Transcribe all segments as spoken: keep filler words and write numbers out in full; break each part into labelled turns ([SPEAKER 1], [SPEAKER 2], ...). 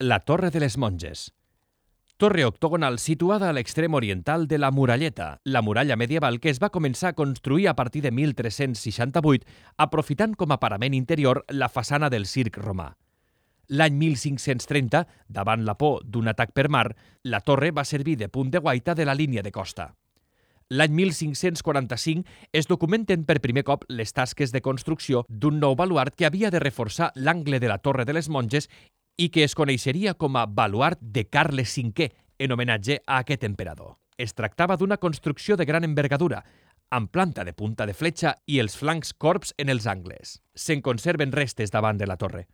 [SPEAKER 1] La Torre de les Monges. Torre octogonal situada a l'extrem oriental de la Muralleta, la muralla medieval que es va començar a construir a partir de mil tres-cents seixanta-vuit, aprofitant com a parament interior la façana del circ romà. L'any mil cinc-cents trenta, davant la por d'un atac per mar, la torre va servir de punt de guaita de la línia de costa. L'any mil cinc-cents quaranta-cinc es documenten per primer cop les tasques de construcció d'un nou baluard que havia de reforçar l'angle de la Torre de les Monges i que es coneixeria com a baluard de Carles cinquè, en homenatge a aquest emperador. Es tractava d'una construcció de gran envergadura, amb planta de punta de fletxa i els flancs corbs en els angles. Se'n conserven restes davant de la torre.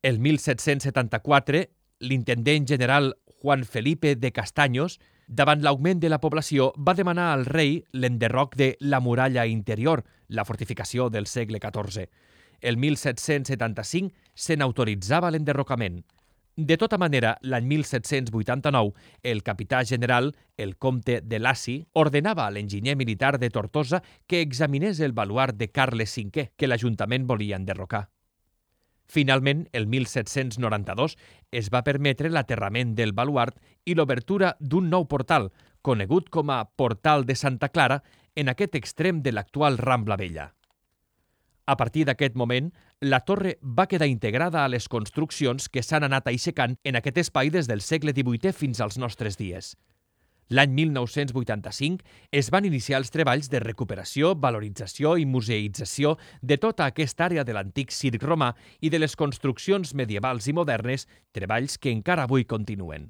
[SPEAKER 1] El mil set-cents setanta-quatre, l'intendent general Juan Felipe de Castaños, davant l'augment de la població, va demanar al rei l'enderroc de la muralla interior, la fortificació del segle catorze. El mil set-cents setanta-cinc se n'autoritzava l'enderrocament. De tota manera, l'any mil set-cents vuitanta-nou, el capità general, el comte de Lacy, ordenava a l'enginyer militar de Tortosa que examinés el baluard de Carles cinquè, que l'Ajuntament volia enderrocar. Finalment, el mil set-cents noranta-dos, es va permetre l'aterrament del baluard i l'obertura d'un nou portal, conegut com a Portal de Santa Clara, en aquest extrem de l'actual Rambla Vella. A partir d'aquest moment, la torre va quedar integrada a les construccions que s'han anat aixecant en aquest espai des del segle divuitè fins als nostres dies. L'any mil nou-cents vuitanta-cinc es van iniciar els treballs de recuperació, valorització i museïtzació de tota aquesta àrea de l'antic circ romà i de les construccions medievals i modernes, treballs que encara avui continuen.